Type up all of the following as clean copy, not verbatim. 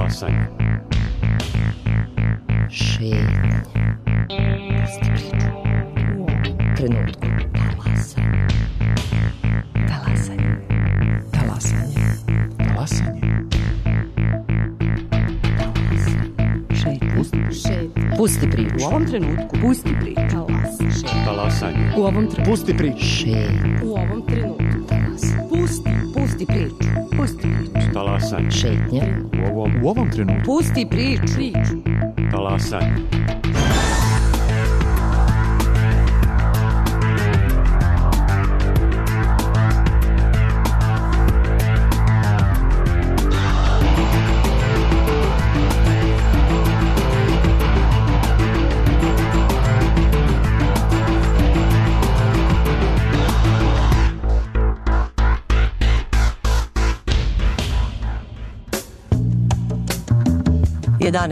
Talasanje. Šetnja. Pusti priču. U ovom trenutku. Talasanje. Talasanje. Talasanje. Pusti priču. U ovom trenutku. Pusti priču. Talasanje. U ovom trenutku. Pusti priču. Šetnja. U ovom trenutku. Pusti priču. Pusti priču. Talasanje. Šetnja. U ovom trenutku. Pusti priču. Talasanje.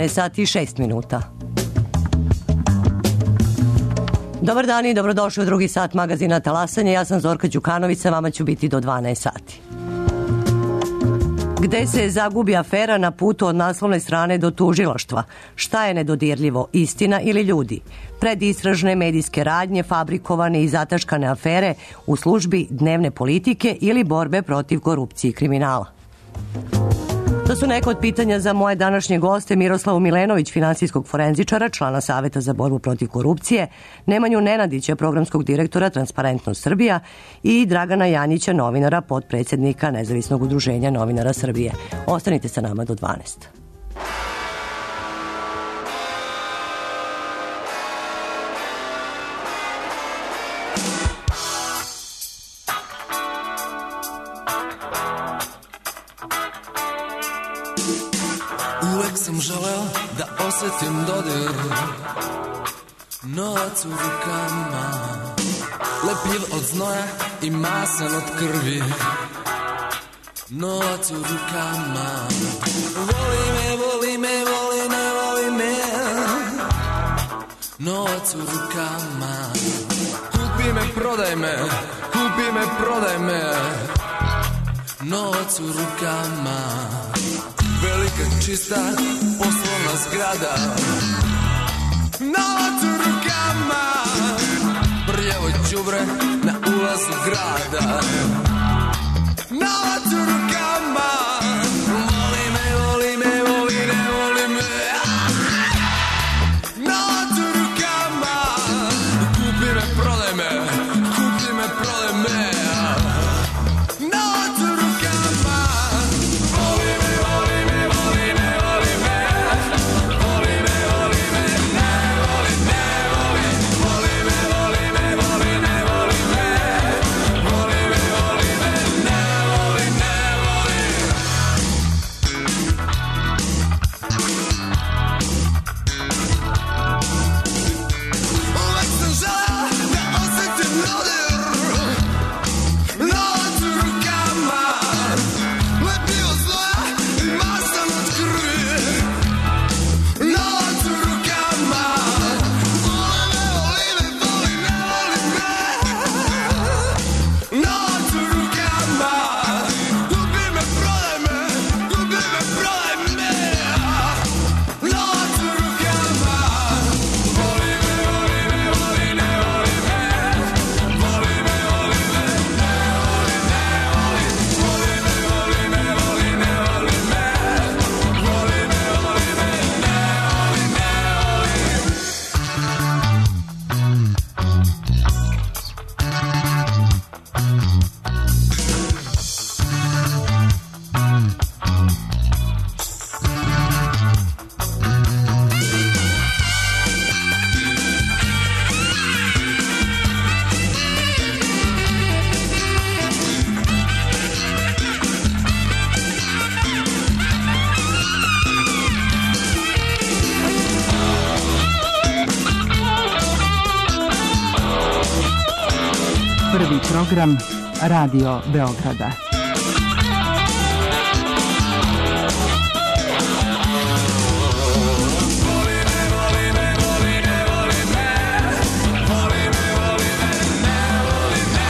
Sati i 6 minuta. Dobar dan i dobrodošli u drugi sat magazina Talasanje. Ja sam Zorka Đukanović, sa vama ću biti do 12 sati. Gde se zagubi afera na putu od naslovne strane do tužilaštva? Šta je nedodirljivo, istina ili ljudi? Predistražne medijske radnje, fabrikovane i zataškane afere u službi dnevne politike ili borbe protiv korupcije i kriminala? To su neka od pitanja za moje današnje goste: Miroslavu Milenović, finansijskog forenzičara, člana Saveta za borbu protiv korupcije, Nemanju Nenadića, programskog direktora Transparentnost Srbija i Dragana Janjića, novinara, potpredsjednika Nezavisnog udruženja novinara Srbije. Ostanite sa nama do 12. Uvek sam želeo da osjetim dodir, novac u rukama, lepljiv od znoja i masan od krvi, novac u rukama. Voli me, voli me, voli me, voli me, novac u rukama. Kupi me, prodaj me, kupi me, prodaj me, novac u rukama. Velika čista poslovna zgrada, novac u rukama. Prljavo đubre na ulazu grada, novac u rukama. Voli me, voli me, voli me, voli me, novac u rukama. Kupi me, prodaj me, kupi me, prodaj me, novac u rukama. Voli me, voli me, voli me, voli me, voli me, voli me, ne voli, ne voli, voli me, voli me, voli me, voli me, voli me, voli me, ne voli, ne voli. Uvek sam želeo da osjetim dodir, novac u rukama, lepljivo znoja i masan od krvi, novac u rukama. Voli me, voli me, voli me, novac u rukama. Kupi me, prodaj me, kupi me, prodaj me, novac u rukama. Voli me, voli me, voli me, voli me, voli me, voli me, ne voli, ne voli, voli me, voli me, voli me,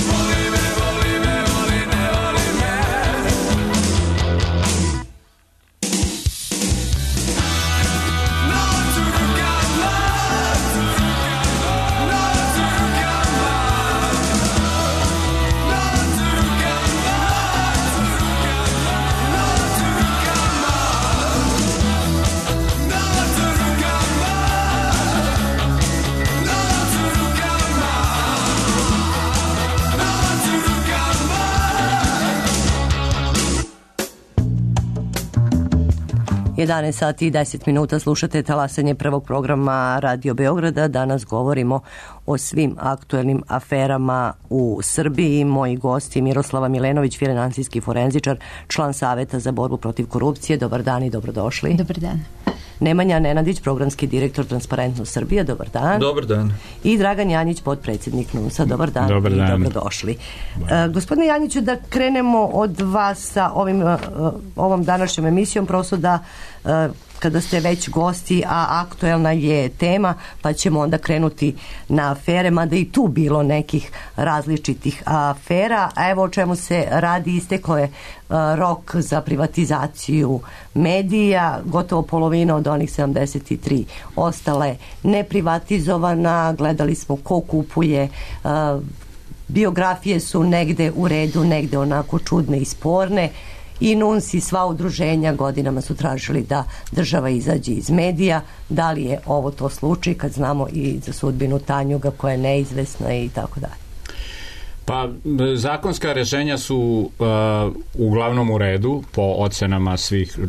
voli me, voli me, voli me, ne voli, ne voli. Prvi program Radio Beograda. 11 sati i 10 minuta slušate talasanje prvog programa Radio Beograda. Danas govorimo o svim aktuelnim aferama u Srbiji. Moji gosti Miroslava Milenović, finansijski forenzičar, član Saveta za borbu protiv korupcije. Dobar dan i dobrodošli. Dobar dan. Nemanja Nenadić, programski direktor Transparentnost Srbije. Dobar dan. Dobar dan. I Dragan Janjić, potpredsjednik NUNS-a. Dobar dan. Dobar dan. I dobrodošli. Gospodine Janjiću, da krenemo od vas sa ovom današnjom emisijom, prosto da kada ste već gosti, a aktuelna je tema, pa ćemo onda krenuti na afere, mada i tu bilo nekih različitih afera. A evo o čemu se radi, isteklo je rok za privatizaciju medija, gotovo polovina od onih 73 ostala je neprivatizovana, gledali smo ko kupuje, biografije su negde u redu, negde onako čudne i sporne. I NUNS i sva udruženja godinama su tražili da država izađe iz medija. Da li je ovo to slučaj kad znamo i za sudbinu Tanjuga koja je neizvesna i tako dalje? Pa zakonska rješenja su uglavnom u redu po ocenama svih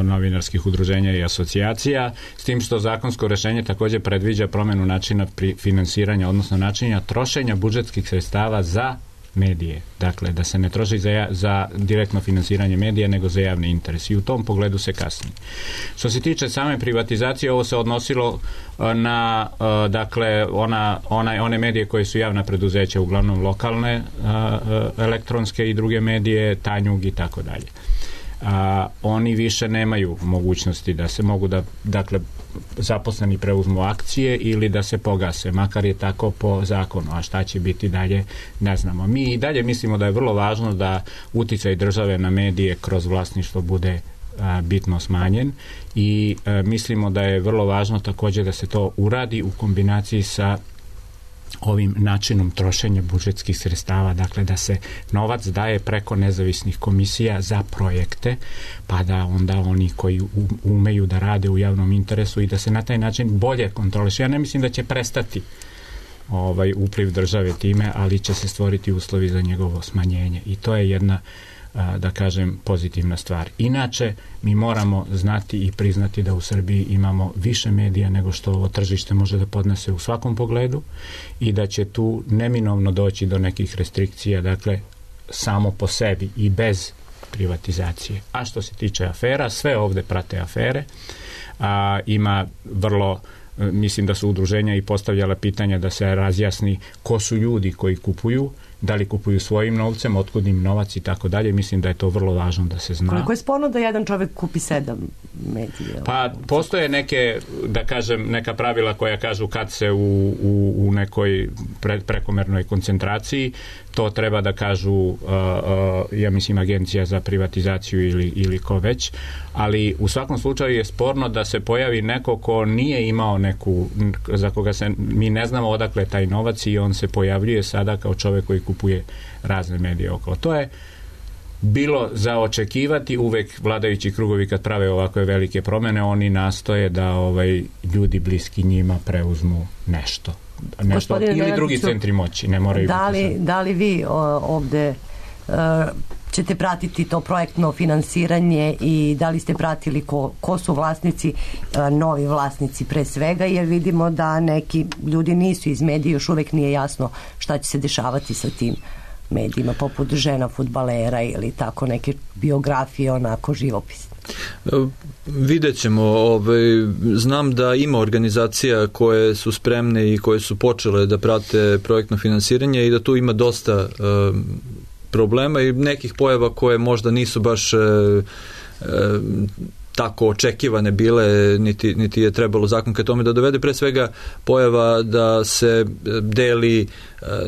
novinarskih udruženja i asocijacija, s tim što zakonsko rješenje također predviđa promjenu načina finansiranja, odnosno načina trošenja budžetskih sredstava za medije. Dakle, da se ne troši za direktno finansiranje medija, nego za javni interes. I u tom pogledu se kasni. Što se tiče same privatizacije, ovo se odnosilo na dakle, one medije koje su javna preduzeća, uglavnom lokalne, elektronske i druge medije, Tanjug i tako dalje. Oni više nemaju mogućnosti da se mogu dakle, zaposleni preuzmu akcije ili da se pogase, makar je tako po zakonu. A šta će biti dalje, ne znamo. Mi i dalje mislimo da je vrlo važno da uticaj države na medije kroz vlasništvo bude bitno smanjen i mislimo da je vrlo važno također da se to uradi u kombinaciji sa ovim načinom trošenja budžetskih sredstava, dakle da se novac daje preko nezavisnih komisija za projekte, pa da onda oni koji umeju da rade u javnom interesu i da se na taj način bolje kontroliše. Ja ne mislim da će prestati upliv države time, ali će se stvoriti uslovi za njegovo smanjenje i to je jedna, da kažem, pozitivna stvar. Inače, mi moramo znati i priznati da u Srbiji imamo više medija nego što ovo tržište može da podnese u svakom pogledu i da će tu neminovno doći do nekih restrikcija, dakle, samo po sebi i bez privatizacije. A što se tiče afera, sve ovde prate afere. Ima vrlo, mislim da su udruženja i postavljala pitanja da se razjasni ko su ljudi koji kupuju, da li kupuju svojim novcem, otkud im novac i tako dalje. Mislim da je to vrlo važno da se zna. Koliko je sporno da jedan čovjek kupi 7 medija? Pa postoje neke, da kažem, neka pravila koja kažu kad se u nekoj prekomernoj koncentraciji, to treba da kažu ja mislim Agencija za privatizaciju ili ko već, ali u svakom slučaju je sporno da se pojavi neko ko nije imao neku, za koga mi ne znamo odakle taj novac i on se pojavljuje sada kao čovjek koji kupuje razne medije okolo. To je bilo za očekivati. Uvek vladajući krugovi kad prave ovakve velike promjene, oni nastoje da biti bliski njima preuzmu nešto ili drugi centri moći, ne moraju da li vi ovde ćete pratiti to projektno finansiranje i da li ste pratili ko su vlasnici, novi vlasnici pre svega, jer vidimo da neki ljudi nisu iz medija, još uvek nije jasno šta će se dešavati sa tim medijima, poput žena fudbalera ili tako neke biografije, onako živopis. Vidjet ćemo. Znam da ima organizacija koje su spremne i koje su počele da prate projektno finansiranje i da tu ima dosta problema i nekih pojava koje možda nisu baš tako očekivane bile, niti je trebalo zakon ka tome da dovede. Pre svega pojava da se deli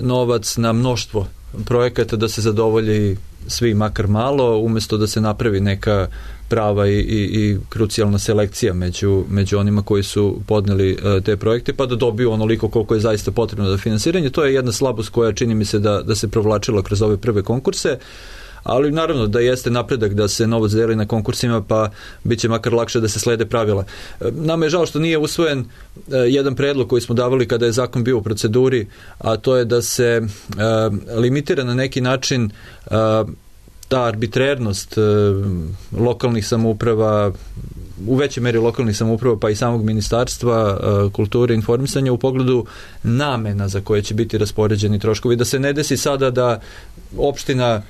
novac na mnoštvo projekata, da se zadovolji svi makar malo, umjesto da se napravi neka prava i krucijalna selekcija među onima koji su podneli te projekte, pa da dobiju onoliko koliko je zaista potrebno za finansiranje. To je jedna slabost koja čini mi se da se provlačila kroz ove prve konkurse, ali naravno da jeste napredak da se novac deli na konkursima, pa bit će makar lakše da se slede pravila. Nama je žao što nije usvojen jedan predlog koji smo davali kada je zakon bio u proceduri, a to je da se limitira na neki način ta arbitrernost lokalnih samouprava, u većoj meri lokalnih samouprava pa i samog ministarstva kulture i informisanja u pogledu namena za koje će biti raspoređeni troškovi, da se ne desi sada da opština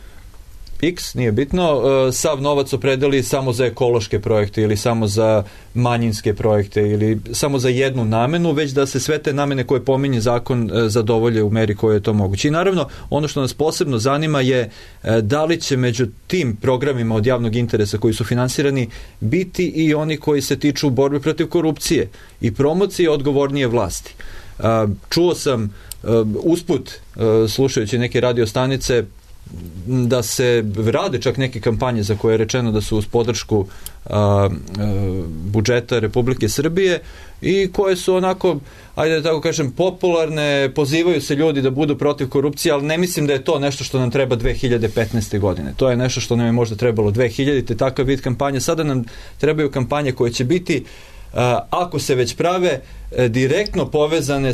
X, nije bitno, sav novac opredeli samo za ekološke projekte ili samo za manjinske projekte ili samo za jednu namenu, već da se sve te namene koje pominje zakon zadovolje u meri koje je to moguće. I naravno, ono što nas posebno zanima je da li će među tim programima od javnog interesa koji su finansirani biti i oni koji se tiču borbe protiv korupcije i promocije odgovornije vlasti. Čuo sam usput, slušajući neke radio stanice, da se rade čak neke kampanje za koje je rečeno da su uz podršku budžeta Republike Srbije i koje su onako, ajde da tako kažem, popularne, pozivaju se ljudi da budu protiv korupcije, ali ne mislim da je to nešto što nam treba 2015. godine. To je nešto što nam je možda trebalo 2000. takav vid kampanje. Sada nam trebaju kampanje koje će biti, ako se već prave, direktno povezane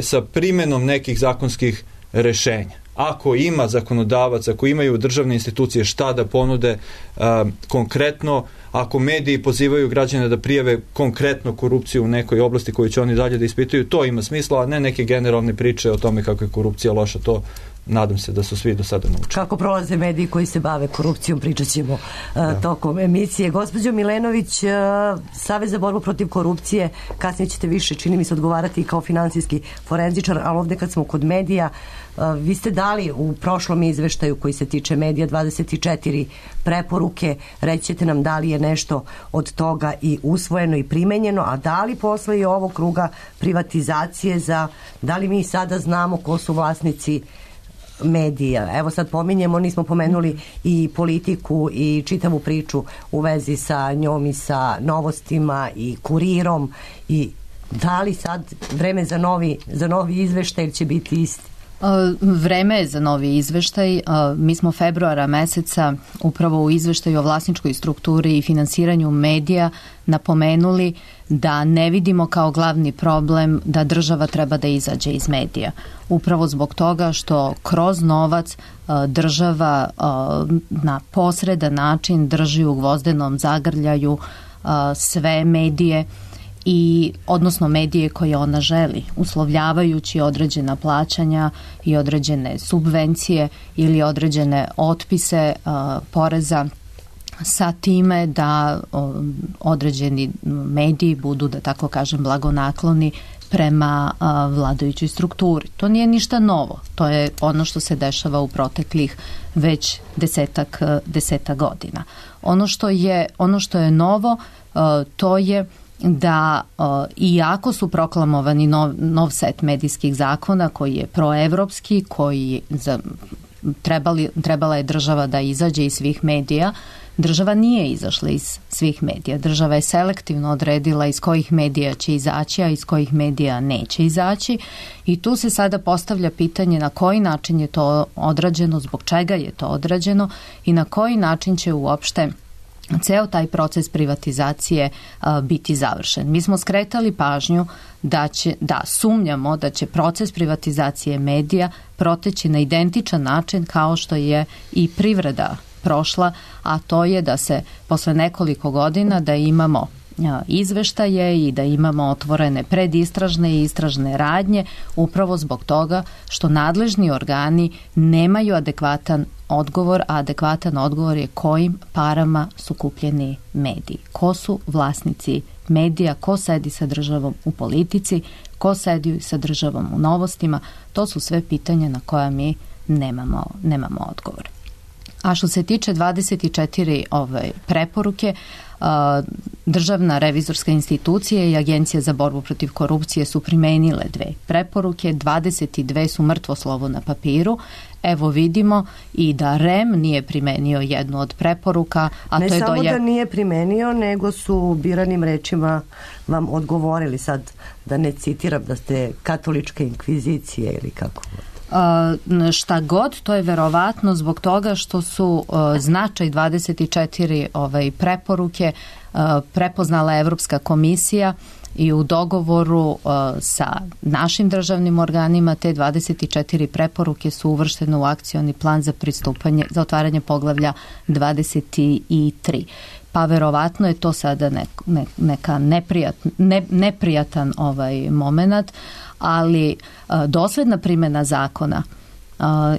sa primenom nekih zakonskih rešenja. Ako ima zakonodavac, ako imaju državne institucije šta da ponude konkretno, ako mediji pozivaju građane da prijave konkretno korupciju u nekoj oblasti koju će oni dalje da ispituju, to ima smisla, a ne neke generalne priče o tome kako je korupcija loša. To nadam se da su svi do sada naučili. Kako prolaze mediji koji se bave korupcijom, pričat ćemo tokom emisije. Gospođo Milenović, Savez za borbu protiv korupcije, kasnije ćete više, čini mi se, odgovarati kao finansijski forenzičar, ali ovde kad smo kod medija, vi ste dali u prošlom izveštaju koji se tiče medija 24 preporuke, reći ćete nam da li je nešto od toga i usvojeno i primenjeno, a da li posle i ovog kruga privatizacije da li mi sada znamo ko su vlasnici medija. Evo sad pominjemo, nismo pomenuli i politiku i čitavu priču u vezi sa njom i sa Novostima i Kurirom i da li sad vreme za novi izveštaj će biti isti? Vreme je za novi izveštaj. Mi smo februara meseca upravo u izveštaju o vlasničkoj strukturi i finansiranju medija napomenuli da ne vidimo kao glavni problem da država treba da izađe iz medija. Upravo zbog toga što kroz novac država na posredan način drži u gvozdenom zagrljaju sve medije i odnosno medije koje ona želi, uslovljavajući određena plaćanja i određene subvencije ili određene otpise poreza sa time da određeni mediji budu, da tako kažem, blagonakloni prema vladajućoj strukturi. To nije ništa novo. To je ono što se dešava u proteklih već desetak godina. Ono što je novo, to je da iako su proklamovani nov set medijskih zakona koji je proevropski, koji trebala je država da izađe iz svih medija, država nije izašla iz svih medija. Država je selektivno odredila iz kojih medija će izaći, a iz kojih medija neće izaći i tu se sada postavlja pitanje na koji način je to odrađeno, zbog čega je to odrađeno i na koji način će uopšte ceo taj proces privatizacije biti završen. Mi smo skretali pažnju da sumnjamo da će proces privatizacije medija proteći na identičan način kao što je i privreda prošla, a to je da se posle nekoliko godina da imamo izveštaje i da imamo otvorene predistražne i istražne radnje upravo zbog toga što nadležni organi nemaju adekvatan odgovor, a adekvatan odgovor je kojim parama su kupljeni mediji. Ko su vlasnici medija, ko sedi sa državom u politici, ko sedi sa državom u Novostima, to su sve pitanja na koja mi nemamo odgovor. A što se tiče 24 preporuke, Državna revizorska institucija i Agencija za borbu protiv korupcije su primenile 2 preporuke, 22 su mrtvo slovo na papiru. Evo vidimo i da REM nije primenio jednu od preporuka, a ne to je samo da nije primenio, nego su biranim rečima vam odgovorili, sad da ne citiram da ste katoličke inkvizicije ili kako. Šta god, to je verovatno zbog toga što su značaj 24 preporuke prepoznala Evropska komisija I u dogovoru sa našim državnim organima te 24 preporuke su uvrštene u akcioni plan za pristupanje, za otvaranje poglavlja 23. Pa verovatno je to sada neka neprijatan moment, ali dosledna primjena zakona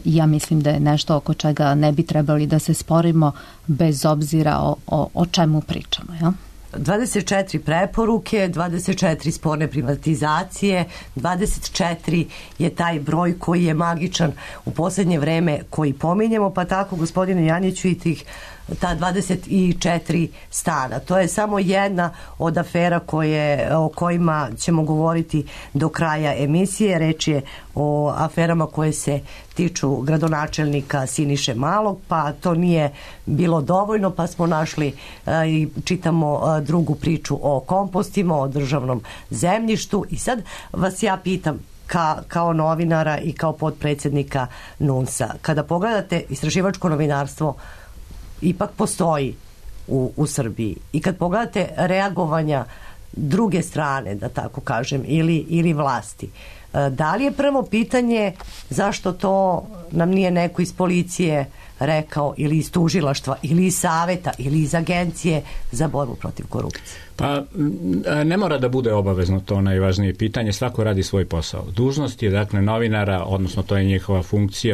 ja mislim da je nešto oko čega ne bi trebali da se sporimo bez obzira o čemu pričamo, ja? 24 preporuke, 24 sporne privatizacije, 24 je taj broj koji je magičan u posljednje vreme koji pominjemo, pa tako gospodine Janjiću i ta 24 stana. To je samo jedna od afera o kojima ćemo govoriti do kraja emisije. Reč je o aferama koje se tiču gradonačelnika Siniše Malog, pa to nije bilo dovoljno, pa smo našli i čitamo drugu priču o kompostima, o državnom zemljištu. I sad vas ja pitam, kao novinara i kao potpredsjednika NUNS-a, kada pogledate istraživačko novinarstvo ipak postoji u Srbiji i kad pogledate reagovanja druge strane, da tako kažem, ili vlasti, da li je prvo pitanje zašto to nam nije neko iz policije rekao, ili iz tužilaštva, ili iz saveta, ili iz agencije za borbu protiv korupcije? Pa ne mora da bude obavezno to najvažnije pitanje, svako radi svoj posao. Dužnost je dakle novinara, odnosno to je njihova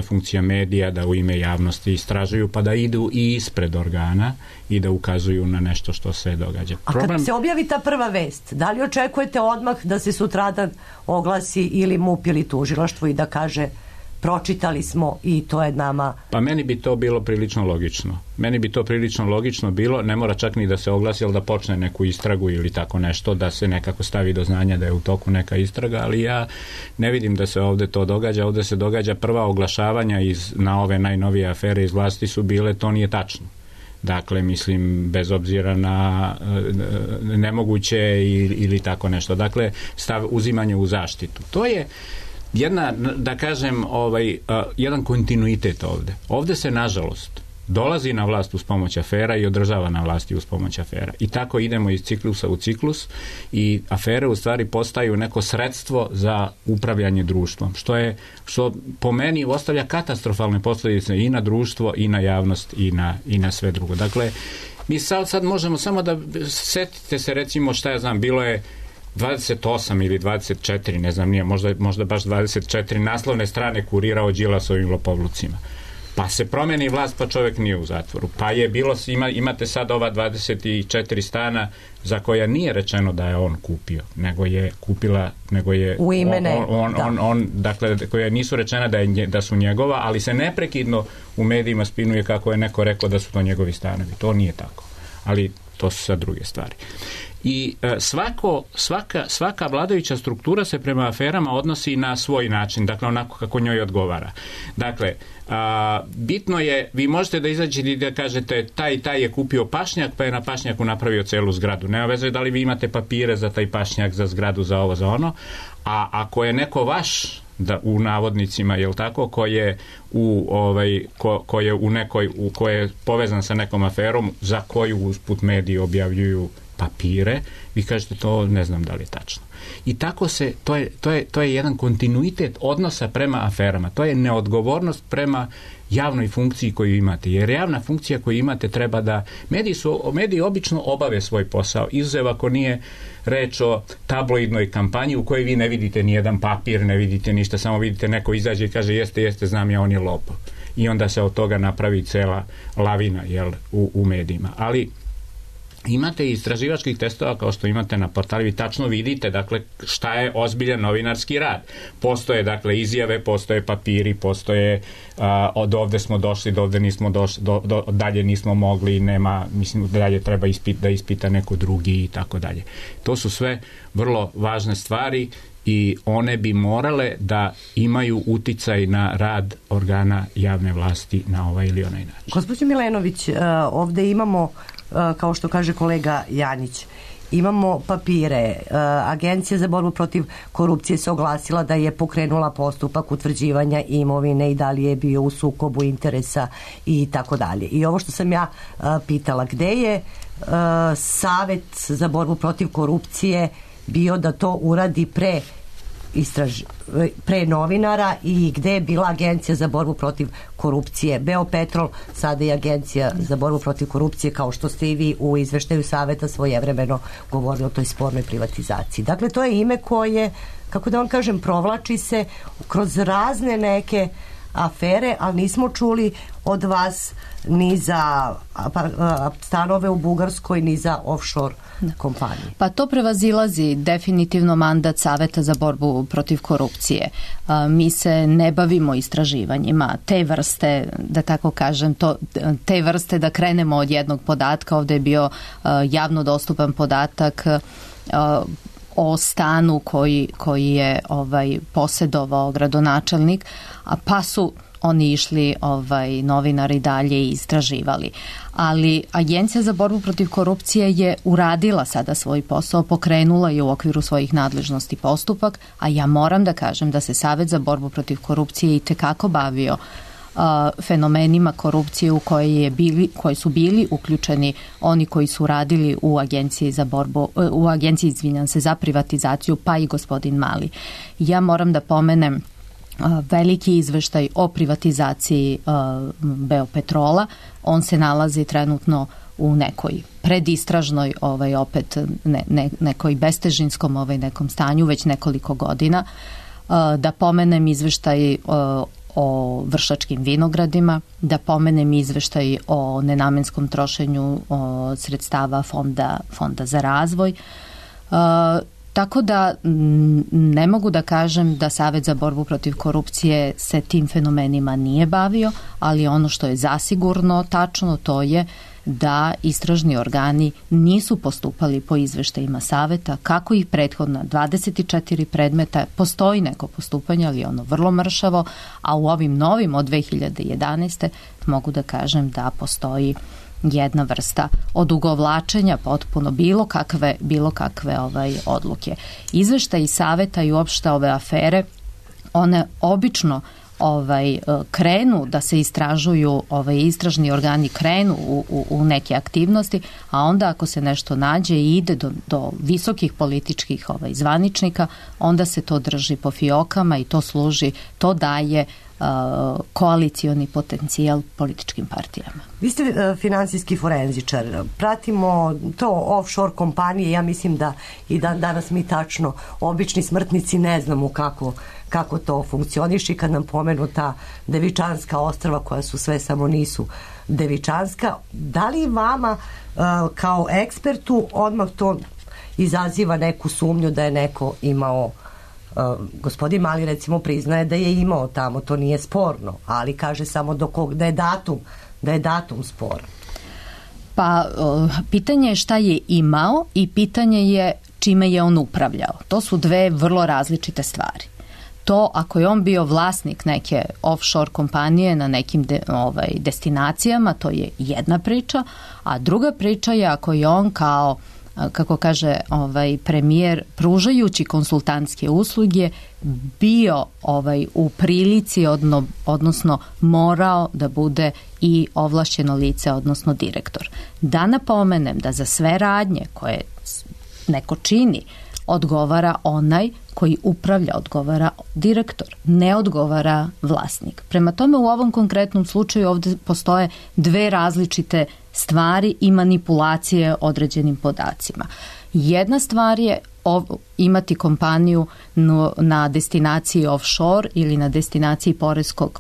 funkcija medija, da u ime javnosti istražuju, pa da idu i ispred organa i da ukazuju na nešto što se događa. A kad se objavi ta prva vest, da li očekujete odmah da se sutradan oglasi ili MUP ili tužilaštvo i da kaže pročitali smo i to je nama? Pa meni bi to bilo prilično logično. Bilo, ne mora čak ni da se oglasi, ali da počne neku istragu ili tako nešto, da se nekako stavi do znanja da je u toku neka istraga, ali ja ne vidim da se ovdje to događa. Ovdje se događa prva oglašavanja na ove najnovije afere iz vlasti su bile, to nije tačno. Dakle, mislim, bez obzira na nemoguće ili tako nešto. Dakle, uzimanje u zaštitu. To je jedna, da kažem, jedan kontinuitet ovdje. Ovdje se, nažalost, dolazi na vlast uz pomoć afera i održava na vlasti uz pomoć afera. I tako idemo iz ciklusa u ciklus i afere u stvari postaju neko sredstvo za upravljanje društvom, što po meni ostavlja katastrofalne posljedice i na društvo i na javnost i na sve drugo. Dakle, mi sad možemo samo da setite se, recimo, šta ja znam, bilo je 28 ili 24, ne znam, nije, možda baš 24 naslovne strane Kurira o Đilasovim lopovlucima. Pa se promeni vlast, pa čovjek nije u zatvoru. Pa je bilo, imate sad ova 24 stana za koja nije rečeno da je on kupio, nego je u ime dakle, koja nisu rečena da su njegova, ali se neprekidno u medijima spinuje kako je neko rekao da su to njegovi stanovi. To nije tako. Ali to su sad druge stvari. I svaka vladajuća struktura se prema aferama odnosi na svoj način, dakle onako kako njoj odgovara. Dakle, bitno je, vi možete da izađete i da kažete taj je kupio pašnjak, pa je na pašnjaku napravio celu zgradu. Nema veze da li vi imate papire za taj pašnjak, za zgradu, za ovo, za ono. A ako je neko vaš, u navodnicima, jel tako, ko je povezan sa nekom aferom za koju usput mediji objavljuju papire, vi kažete to ne znam da li je tačno. I tako se, to je jedan kontinuitet odnosa prema aferama. To je neodgovornost prema javnoj funkciji koju imate. Jer javna funkcija koju imate treba da... Mediji obično obave svoj posao, izuzev ako nije reč o tabloidnoj kampanji u kojoj vi ne vidite nijedan papir, ne vidite ništa, samo vidite neko izađe i kaže jeste, znam ja, on je lopov. I onda se od toga napravi cela lavina, jel, u medijima. Ali imate i istraživačkih testova kao što imate na portalu, vi tačno vidite, dakle, šta je ozbiljan novinarski rad. Postoje, dakle, izjave, postoje papiri, postoje od ovde smo došli, do ovde nismo došli, dalje nismo mogli, nema, mislim, dalje treba da ispita neko drugi i tako dalje. To su sve vrlo važne stvari i one bi morale da imaju uticaj na rad organa javne vlasti na ovaj ili onaj način. Gospođo Milenović, ovde imamo, kao što kaže kolega Janjić, imamo papire. Agencija za borbu protiv korupcije se oglasila da je pokrenula postupak utvrđivanja imovine i da li je bio u sukobu interesa i tako dalje. I ovo što sam ja pitala, gde je Savet za borbu protiv korupcije bio da to uradi pre novinara i gde je bila Agencija za borbu protiv korupcije. Beopetrol, sada je Agencija za borbu protiv korupcije, kao što ste i vi u izveštaju Saveta svojevremeno govorili o toj spornoj privatizaciji. Dakle, to je ime koje, kako da vam kažem, provlači se kroz razne neke afere, ali nismo čuli od vas ni za stanove u Bugarskoj, ni za offshore kompanije. Pa to prevazilazi definitivno mandat Saveta za borbu protiv korupcije. Mi se ne bavimo istraživanjima te vrste, da tako kažem, te vrste da krenemo od jednog podatka. Ovdje je bio javno dostupan podatak o stanu koji je posjedovao gradonačelnik, pa su oni išli novinari dalje i istraživali. Ali Agencija za borbu protiv korupcije je uradila sada svoj posao, pokrenula je u okviru svojih nadležnosti postupak, a ja moram da kažem da se Savet za borbu protiv korupcije i tekako bavio fenomenima korupcije u koji su bili uključeni oni koji su radili u Agenciji za privatizaciju, pa i gospodin Mali. Ja moram da pomenem veliki izveštaj o privatizaciji Beopetrola. On se nalazi trenutno u nekoj predistražnoj opet nekoj bestežinskom nekom stanju već nekoliko godina. Da pomenem izveštaj o Vršačkim vinogradima, da pomenem izveštaj o nenamenskom trošenju sredstava fonda za razvoj. Tako da ne mogu da kažem da Savet za borbu protiv korupcije se tim fenomenima nije bavio, ali ono što je zasigurno tačno, to je da istražni organi nisu postupali po izveštajima Saveta, kako ih prethodna 24 predmeta, postoji neko postupanje, ali ono vrlo mršavo, a u ovim novim od 2011. mogu da kažem da postoji jedna vrsta odugovlačenja potpuno bilo kakve odluke. Izveštaji Saveta i uopšte ove afere, one obično krenu da se istražuju, istražni organi krenu u neke aktivnosti, a onda ako se nešto nađe i ide do visokih političkih zvaničnika, onda se to drži po fiokama i to daje koalicioni potencijal političkim partijama. Vi ste finansijski forenzičar, pratimo to offshore kompanije, ja mislim da i danas mi tačno, obični smrtnici, ne znamo kako to funkcioniše i kad nam pomenu ta Devičanska ostrva koja su sve samo nisu Devičanska. Da li vama kao ekspertu odmah to izaziva neku sumnju da je neko imao, gospodin Mali recimo priznaje da je imao tamo, to nije sporno, ali kaže samo da je datum sporan. Pa pitanje je šta je imao i pitanje je čime je on upravljao. To su dve vrlo različite stvari. To ako je on bio vlasnik neke offshore kompanije na nekim destinacijama, to je jedna priča, a druga priča je ako je on kao, kako kaže premijer, pružajući konsultantske usluge bio u prilici, odnosno morao da bude i ovlašćeno lice, odnosno direktor. Da napomenem da za sve radnje koje neko čini odgovara onaj koji upravlja, odgovara direktor, ne odgovara vlasnik. Prema tome u ovom konkretnom slučaju ovdje postoje dve različite stvari i manipulacije određenim podacima. Jedna stvar je imati kompaniju na destinaciji offshore ili na destinaciji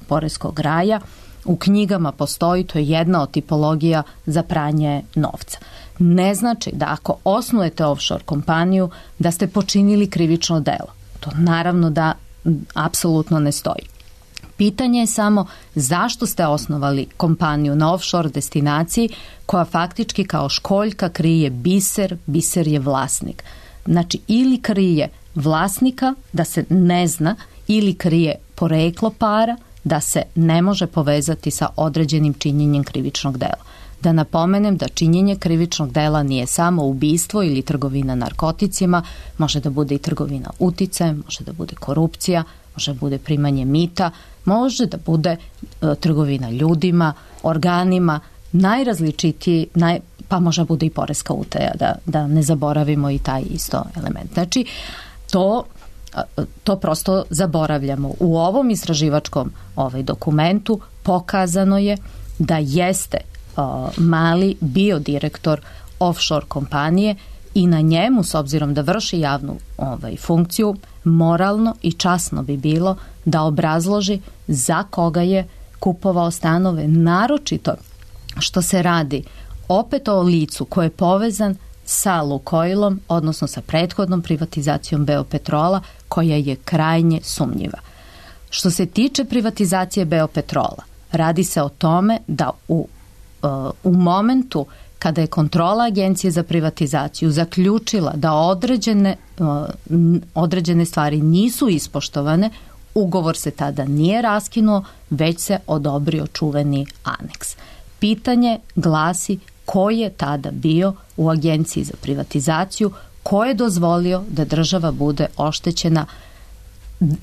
poreskog raja. U knjigama postoji, to je jedna od tipologija za pranje novca. Ne znači da ako osnujete offshore kompaniju da ste počinili krivično delo. To naravno da apsolutno ne stoji. Pitanje je samo zašto ste osnovali kompaniju na offshore destinaciji koja faktički kao školjka krije biser je vlasnik. Znači ili krije vlasnika da se ne zna ili krije poreklo para da se ne može povezati sa određenim činjenjem krivičnog dela. Da napomenem da činjenje krivičnog dela nije samo ubistvo ili trgovina narkoticima, može da bude i trgovina uticajem, može da bude korupcija, može da bude primanje mita, može da bude trgovina ljudima, organima, najrazličitiji, pa može bude i poreska utaja, da ne zaboravimo i taj isto element. Znači, to prosto zaboravljamo. U ovom istraživačkom dokumentu pokazano je da jeste Mali bio direktor offshore kompanije i na njemu, s obzirom da vrši javnu funkciju, moralno i časno bi bilo da obrazloži za koga je kupovao stanove, naročito što se radi opet o licu koji je povezan sa Lukoilom, odnosno sa prethodnom privatizacijom Beopetrola, koja je krajnje sumnjiva. Što se tiče privatizacije Beopetrola, radi se o tome da u momentu kada je kontrola Agencije za privatizaciju zaključila da određene stvari nisu ispoštovane, ugovor se tada nije raskinuo, već se odobrio čuveni aneks. Pitanje glasi ko je tada bio u Agenciji za privatizaciju, ko je dozvolio da država bude oštećena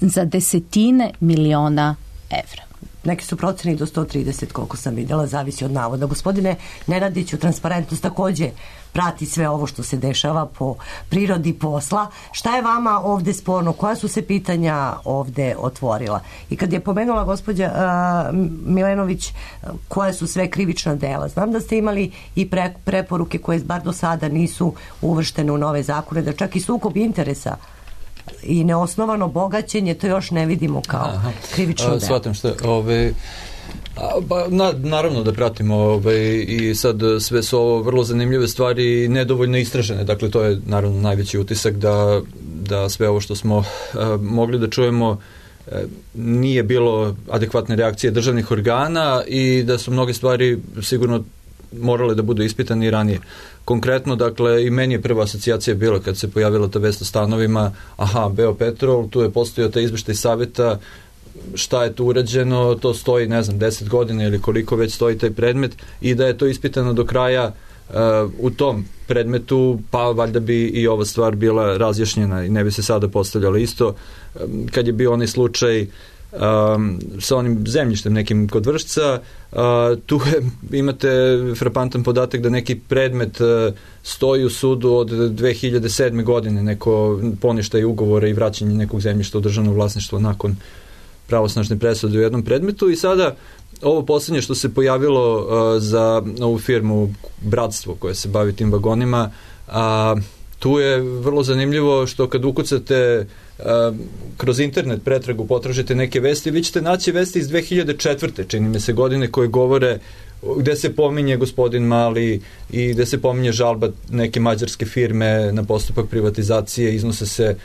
za desetine miliona evra. Neki su proceni do 130, koliko sam vidjela, zavisi od navoda. Gospodine Nenadiću, transparentnost takođe prati sve ovo što se dešava po prirodi posla. Šta je vama ovde sporno? Koja su se pitanja ovde otvorila? I kad je pomenula gospođa Milenović koje su sve krivična dela, znam da ste imali i preporuke koje bar do sada nisu uvrštene u nove zakone, da čak i sukob interesa i neosnovano bogaćenje, to još ne vidimo kao krivično delo. Shvatam što naravno da pratimo i sad sve su ovo vrlo zanimljive stvari, nedovoljno istražene, dakle to je naravno najveći utisak da sve ovo što smo mogli da čujemo nije bilo adekvatne reakcije državnih organa i da su mnoge stvari sigurno morale da budu ispitane i ranije. Konkretno, dakle, i meni je prva asocijacija bila kad se pojavila ta vest o stanovima, Beopetrol, tu je postojao taj izveštaj savjeta, šta je tu urađeno, to stoji, 10 godina ili koliko već stoji taj predmet i da je to ispitano do kraja u tom predmetu, pa valjda bi i ova stvar bila razjašnjena i ne bi se sada postavljala isto. Kad je bio onaj slučaj sa onim zemljištem nekim kod Vršca, tu imate frapantan podatak da neki predmet stoji u sudu od 2007. godine, neko poništaj ugovora i vraćanje nekog zemljišta u državno vlasništvo nakon pravosnažne presude u jednom predmetu i sada ovo posljednje što se pojavilo za ovu firmu Bratstvo koje se bavi tim vagonima, tu je vrlo zanimljivo što kad ukucate kroz internet pretragu potražite neke vesti, vi ćete naći vesti iz 2004. čini mi se godine koje govore gde se pominje gospodin Mali i gde se pominje žalba neke mađarske firme na postupak privatizacije, iznose se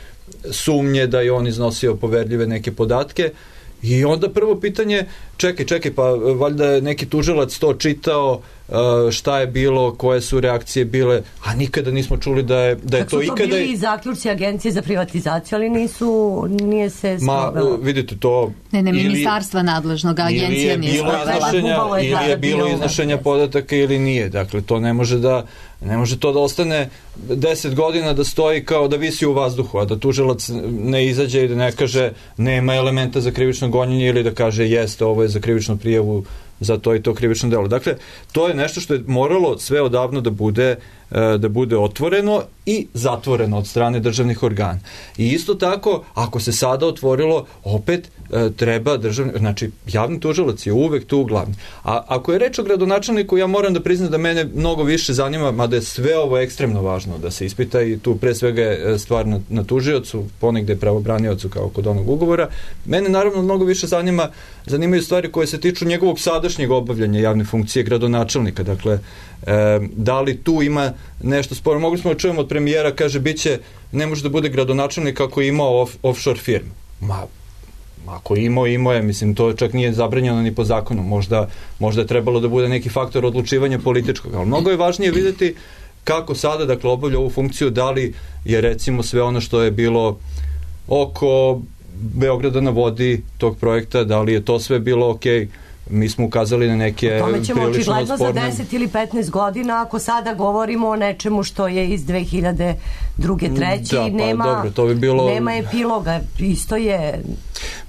sumnje da je on iznosio poverljive neke podatke i onda prvo pitanje, čekaj, pa valjda je neki tužilac to čitao, šta je bilo, koje su reakcije bile, a nikada nismo čuli da je to ikada... Kako su to bili i zaključci Agencije za privatizaciju, ali nije se sprovelo. Vidite to... Ne, ministarstva nadležnog, agencija nije sprovela. Ili je bilo iznošenja podataka ili nije. Dakle, to ne može to da ostane 10 godina da stoji kao da visi u vazduhu, a da tužilac ne izađe i da ne kaže nema elementa za krivično gonjenje ili da kaže jeste, ovo je za krivičnu prijavu za to i to krivično delo. Dakle, to je nešto što je moralo sve odavno da bude otvoreno i zatvoreno od strane državnih organa. I isto tako, ako se sada otvorilo, opet treba znači javni tužilac je uvek tu glavni. A ako je reč o gradonačelniku, ja moram da priznam da mene mnogo više zanima, mada je sve ovo ekstremno važno da se ispita i tu pre svega je stvar na tužiocu, ponegde pravobraniocu kao kod onog ugovora. Mene naravno mnogo više zanimaju stvari koje se tiču njegovog sadašnjeg obavljanja javne funkcije gradonačelnika. Dakle, da li tu ima nešto sporno? Mogli smo da čujemo od premijera, kaže, ne može da bude gradonačelnik ako je imao offshore firmu. Ako imao je, mislim, to čak nije zabranjeno ni po zakonu. Možda je trebalo da bude neki faktor odlučivanja političkog, ali mnogo je važnije vidjeti kako sada, dakle, obavlja ovu funkciju, da li je recimo sve ono što je bilo oko Beograda na vodi tog projekta, da li je to sve bilo okej. mi smo ukazali na neke tome ćemo prilično očigledno za sporne... 10 ili 15 godina, ako sada govorimo o nečemu što je iz 2002. 3. Da, pa dobro, to bi bilo... nema epiloga, isto je...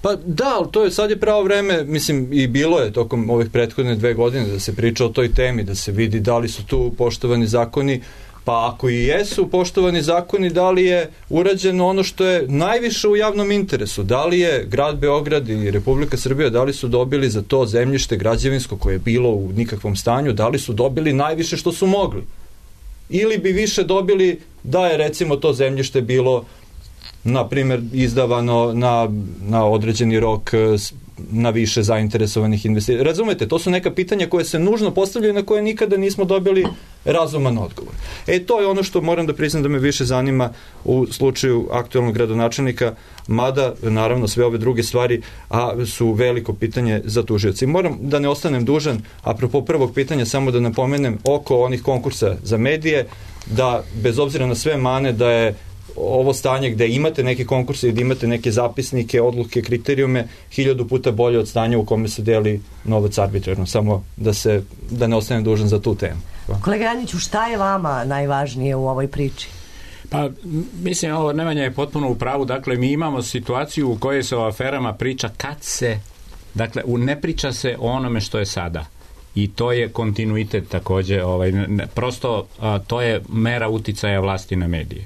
Pa da, ali to je sad je pravo vreme, mislim, i bilo je tokom ovih prethodne 2 godine da se priča o toj temi, da se vidi da li su tu poštovani zakoni, pa ako i jesu poštovani zakoni, da li je urađeno ono što je najviše u javnom interesu, da li je grad Beograd i Republika Srbija, da li su dobili za to zemljište građevinsko koje je bilo u nikakvom stanju, da li su dobili najviše što su mogli. Ili bi više dobili da je recimo to zemljište bilo na primjer izdavano na određeni rok na više zainteresovanih investicija. Razumete, to su neka pitanja koje se nužno postavljaju na koje nikada nismo dobili razuman odgovor. To je ono što moram da priznam da me više zanima u slučaju aktualnog gradonačelnika, mada naravno sve ove druge stvari su veliko pitanje za tužioci. Moram da ne ostanem dužan, apropo prvog pitanja, samo da napomenem oko onih konkursa za medije, da bez obzira na sve mane da je ovo stanje gde imate neke konkurse i da imate neke zapisnike, odluke, kriterijume 1000 puta bolje od stanja u kome se deli novac arbitrarno. Samo da ne ostanem dužan za tu temu. Kolega Janjiću, šta je vama najvažnije u ovoj priči? Pa, mislim, ovo Nemanja je potpuno u pravu. Dakle, mi imamo situaciju u kojoj se o aferama priča kad se, dakle, ne priča se o onome što je sada. I to je kontinuitet takođe. Prosto, to je mera uticaja vlasti na medije.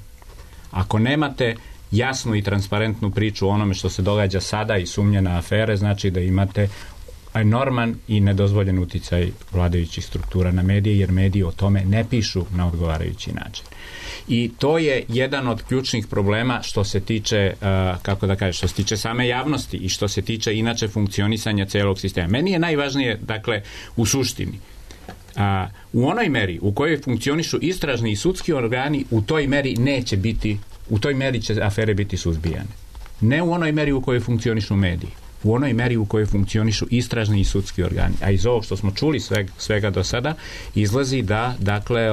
Ako nemate jasnu i transparentnu priču o onome što se događa sada i sumnje na afere, znači da imate enorman i nedozvoljen uticaj vladajućih struktura na medije, jer mediji o tome ne pišu na odgovarajući način. I to je jedan od ključnih problema što se tiče, što se tiče same javnosti i što se tiče inače funkcionisanja celog sistema. Meni je najvažnije, dakle, u suštini, u onoj meri u kojoj funkcionišu istražni i sudski organi, u toj meri će afere biti suzbijane. Ne u onoj meri u kojoj funkcionišu mediji, u onoj meri u kojoj funkcionišu istražni i sudski organi. A iz ovog što smo čuli svega do sada, izlazi da, dakle,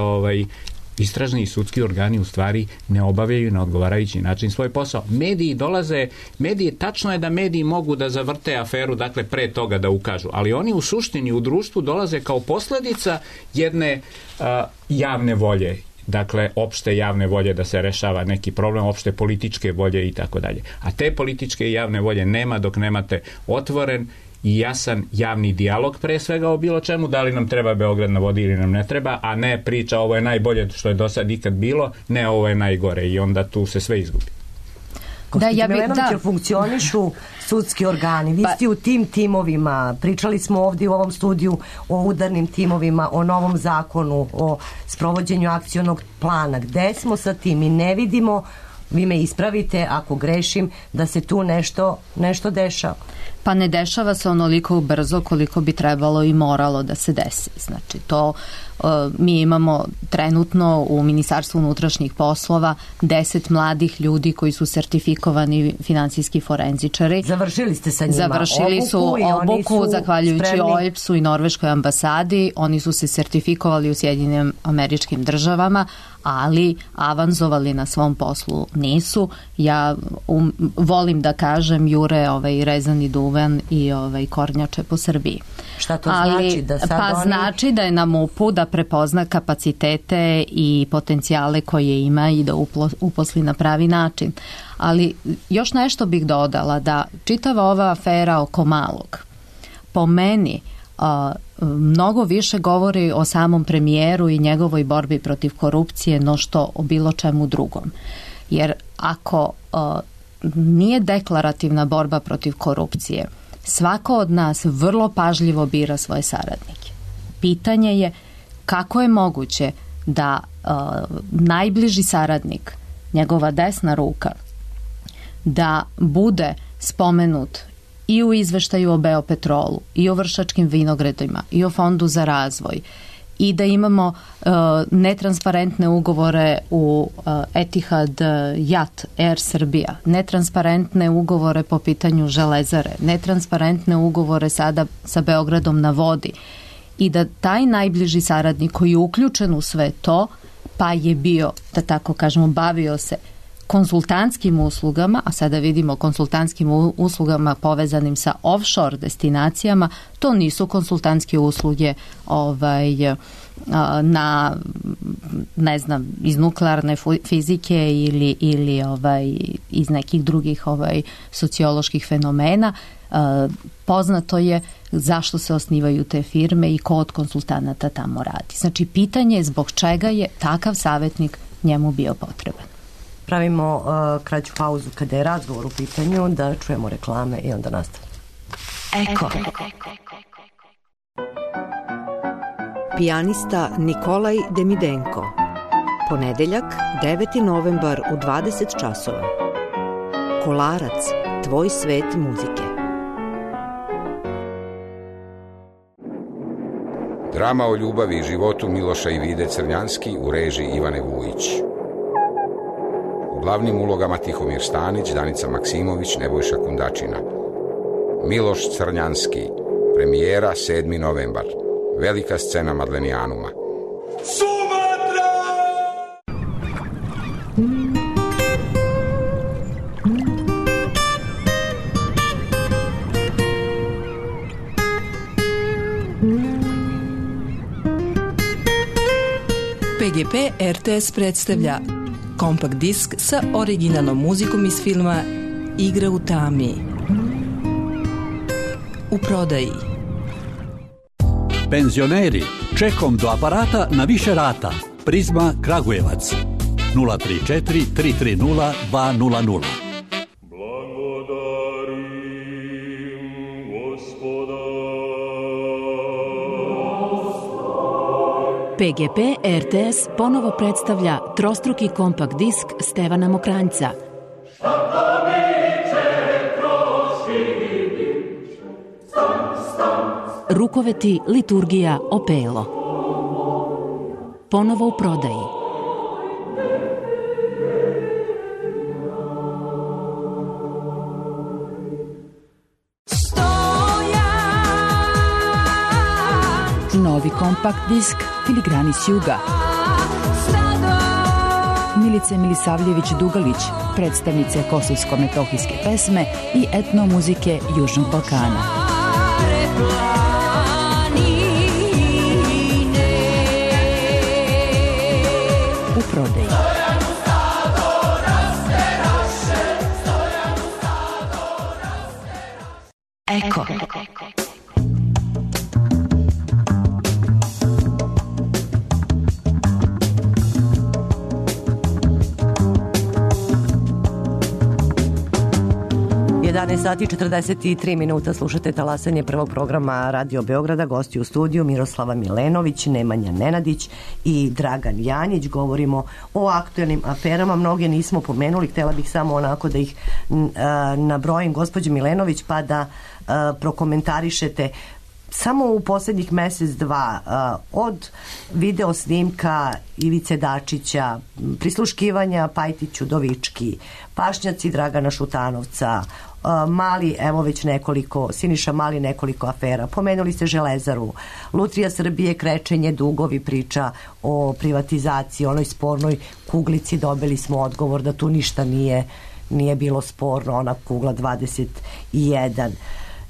istražni i sudski organi u stvari ne obavljaju na odgovarajući način svoj posao. Tačno je da mediji mogu da zavrte aferu, dakle, pre toga da ukažu, ali oni u suštini u društvu dolaze kao posljedica jedne javne volje, dakle, opšte javne volje da se rešava neki problem, opšte političke volje i tako dalje. A te političke i javne volje nema dok nemate otvoren i jasan javni dijalog pre svega o bilo čemu, da li nam treba Beograd na vodi ili nam ne treba, a ne priča ovo je najbolje što je do sad ikad bilo, ne ovo je najgore, i onda tu se sve izgubi. Funkcionišu sudski organi. Vi ste u tim timovima, pričali smo ovdje u ovom studiju o udarnim timovima, o novom zakonu, o sprovođenju akcionog plana. Gde smo sa tim? I ne vidimo, vi me ispravite ako grešim, da se tu nešto dešava. Pa ne dešava se onoliko brzo koliko bi trebalo i moralo da se desi. Znači, to mi imamo trenutno u Ministarstvu unutrašnjih poslova 10 mladih ljudi koji su sertifikovani finansijski forenzičari. Završili ste sa njima Završili su obuku zahvaljujući OEBS-u i Norveškoj ambasadi. Oni su se sertifikovali u Sjedinjenim Američkim Državama, ali avanzovali na svom poslu nisu. Ja volim da kažem jure rezani duvan i kornjače po Srbiji. Šta to znači? Znači da je na MUP-u da prepozna kapacitete i potencijale koje ima i da uposli na pravi način. Ali još nešto bih dodala, da čitava ova afera oko Malog po meni mnogo više govori o samom premijeru i njegovoj borbi protiv korupcije no što o bilo čemu drugom. Jer ako nije deklarativna borba protiv korupcije, svako od nas vrlo pažljivo bira svoje saradnike. Pitanje je kako je moguće da najbliži saradnik, njegova desna ruka, da bude spomenut i u izveštaju o Beopetrolu, i o Vršačkim vinogradima, i o Fondu za razvoj, i da imamo netransparentne ugovore u Etihad, JAT, Air Srbija, netransparentne ugovore po pitanju Železare, netransparentne ugovore sada sa Beogradom na vodi, i da taj najbliži saradnik koji je uključen u sve to, pa je bio, da tako kažemo, bavio se konsultantskim uslugama, a sada vidimo konsultantskim uslugama povezanim sa offshore destinacijama, to nisu konsultantske usluge na, ne znam, iz nuklearne fizike ili iz nekih drugih socioloških fenomena. Poznato je zašto se osnivaju te firme i ko od konsultanata tamo radi. Znači, pitanje je zbog čega je takav savjetnik njemu bio potreban. Pravimo kraću pauzu kada je razgovor u pitanju, da čujemo reklame i onda nastavimo. Eko. Pijanista Nikolaj Demidenko. Ponedeljak, 9. novembar u 20 časova. Kolarac, tvoj svet muzike. Drama o ljubavi i životu Miloša i Vide Crnjanski u režiji Ivane Vujić. U glavnim ulogama Tihomir Stanić, Danica Maksimović, Nebojša Kundačina. Miloš Crnjanski, premijera 7. novembar. Velika scena Madlenijanuma. Sumatra! PGP RTS predstavlja kompakt disk sa originalnom muzikom iz filma Igra u tami. U prodaji. Penzioneri, čekom do aparata na više rata. Prizma Kragujevac 034 330 200. PGP RTS ponovo predstavlja trostruki kompakt disk Stevana Mokranjca. Rukoveti, liturgija, opelo. Ponovo u prodaji. Novi kompakt disk Filigrani s juga. Milice Milisavljević-Dugalić, predstavnice kosovsko-metohijske pesme i etnomuzike Južnog Balkana. U prodaji. Eko. Sati 43 minuta, slušate talasanje prvog programa Radio Beograda. Gosti u studiju Miroslava Milenović, Nemanja Nenadić i Dragan Janjić. Govorimo o aktuelnim aferama, mnoge nismo pomenuli, htjela bih samo onako da ih nabrojim, gospođo Milenović, pa da prokomentarišete. Samo u posljednjih mjesec, dva, od video snimka Ivice Dačića, prisluškivanja Pajtiću Dovički, pašnjaci Dragana Šutanovca, Mali, evo već nekoliko, Siniša Mali nekoliko afera, pomenuli ste Železaru, Lutrija Srbije, krečenje, dugovi, priča o privatizaciji, onoj spornoj kuglici, dobili smo odgovor da tu ništa nije bilo sporno, ona kugla 21,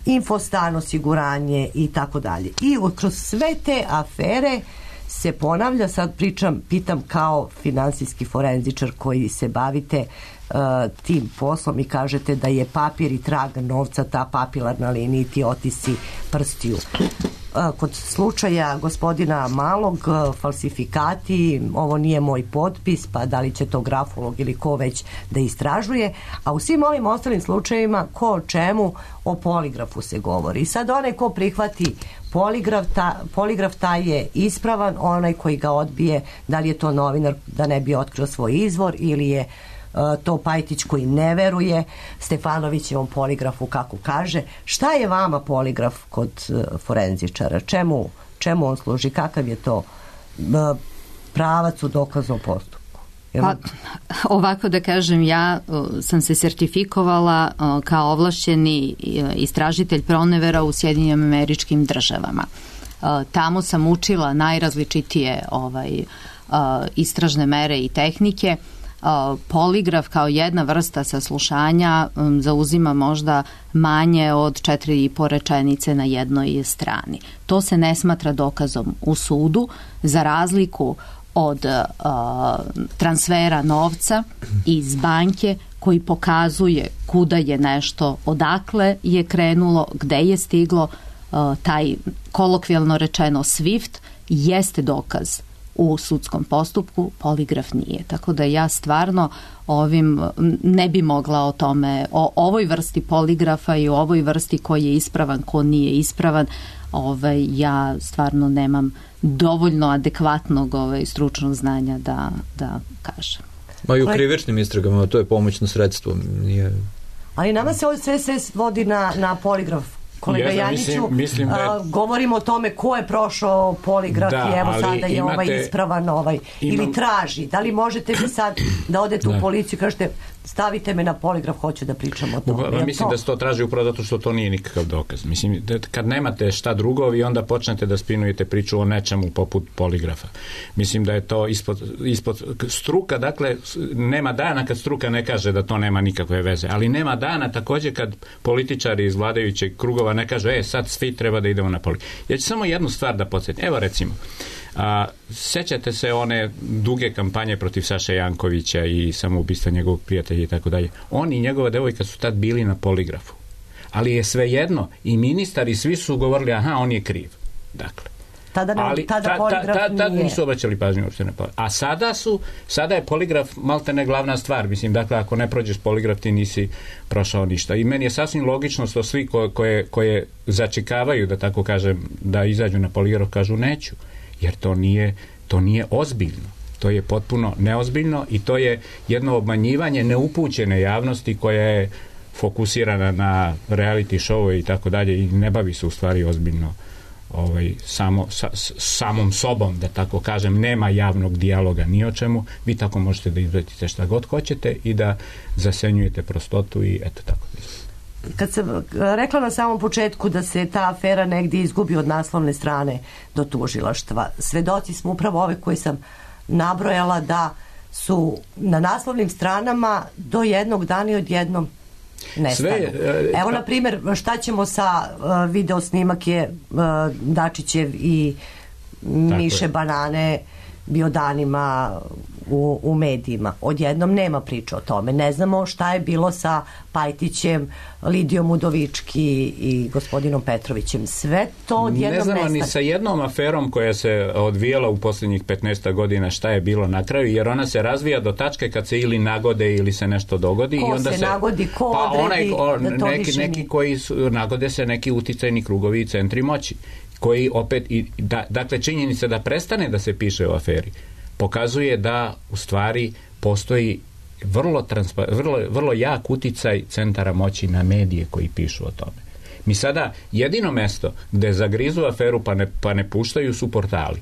Infostan, osiguranje i tako dalje. I kroz sve te afere se ponavlja, sad pitam kao finansijski forenzičar koji se bavite tim poslom i kažete da je papir i trag novca ta papilarna linija, ti otisci prstiju. Kod slučaja gospodina Malog, falsifikati, ovo nije moj potpis, pa da li će to grafolog ili ko već da istražuje, a u svim ovim ostalim slučajevima ko o čemu, o poligrafu se govori. I sad onaj ko prihvati poligraf taj je ispravan, onaj koji ga odbije, da li je to novinar da ne bi otkrio svoj izvor ili je to Pajtić koji ne veruje Stefanovićevom poligrafu kako kaže. Šta je vama poligraf kod forenzičara? Čemu on služi? Kakav je to pravac u dokaznom postupku? Pa, ovako da kažem, ja sam se sertifikovala kao ovlašćeni istražitelj pronevera u Sjedinjenim Američkim Državama. Tamo sam učila najrazličitije istražne mere i tehnike. poligraf kao jedna vrsta saslušanja zauzima možda manje od 4,5 rečenice na jednoj strani. To se ne smatra dokazom u sudu, za razliku od transfera novca iz banke koji pokazuje kuda je nešto, odakle je krenulo, gde je stiglo. Taj kolokvijalno rečeno SWIFT jeste dokaz u sudskom postupku, poligraf nije. Tako da ja stvarno ne bi mogla o tome, o ovoj vrsti poligrafa i o ovoj vrsti koji je ispravan, ko nije ispravan, ja stvarno nemam dovoljno adekvatnog stručnog znanja da kažem. Ma i u krivičnim istragama to je pomoćno sredstvo. Nije... Ali nama se ovo sve vodi na poligraf. Kolega Janjiću, govorimo o tome ko je prošao poligraf i evo sada je ispravan ili traži. Da li možete vi sad da odete u policiju i kažete stavite me na poligraf, hoću da pričam o tome? Mislim da se to traži upravo zato što to nije nikakav dokaz. Mislim, kad nemate šta drugo, vi onda počnete da spinujete priču o nečemu poput poligrafa. Mislim da je to ispod struka, dakle, nema dana kad struka ne kaže da to nema nikakve veze, ali nema dana također kad političari iz vladajućeg krugova ne kažu, sad svi treba da idemo na poligraf. Ja ću samo jednu stvar da podsjetim. Evo recimo, sećate se one duge kampanje protiv Saše Jankovića i samoubistva njegovog prijatelja i tako dalje. On i njegova devojka su tad bili na poligrafu. Ali je svejedno i ministar i svi su govorili, on je kriv. Dakle. Tada nisu obraćali pažnju uopšte na poligraf. A sada je poligraf maltene glavna stvar. Mislim, dakle, ako ne prođeš poligraf ti nisi prošao ništa. I meni je sasvim logično što svi koje začekavaju, da tako kažem, da izađu na poligraf, kažu neću. Jer to nije ozbiljno. To je potpuno neozbiljno i to je jedno obmanjivanje neupućene javnosti koja je fokusirana na reality show i tako dalje i ne bavi se u stvari ozbiljno samom sobom, da tako kažem. Nema javnog dijaloga ni o čemu. Vi tako možete da izvratite šta god hoćete i da zasenjujete prostotu i eto tako. Kad sam rekla na samom početku da se ta afera negdje izgubi od naslovne strane do tužilaštva, svedoci smo upravo ove koje sam nabrojala da su na naslovnim stranama do jednog dana i odjednom nestanu. Evo, na primjer, šta ćemo sa video snimak je Dačićev i Miše Banane bio danima u medijima. Odjednom nema priče o tome. Ne znamo šta je bilo sa Pajtićem, Lidijom Udovički i gospodinom Petrovićem. Sve to odjednom nestane. Ne znamo ni sa jednom aferom koja se odvijala u posljednjih 15 godina šta je bilo na kraju, jer ona se razvija do tačke kad se ili nagode ili se nešto dogodi. Ko i onda se nagodi, ko odredi da to više nije? Neki koji nagode se neki uticajni krugovi i centri moći. Koji opet, dakle, činjenica da prestane da se piše o aferi pokazuje da u stvari postoji vrlo jak uticaj centara moći na medije koji pišu o tome. Mi sada jedino mesto gde zagrizu aferu pa ne puštaju su portali,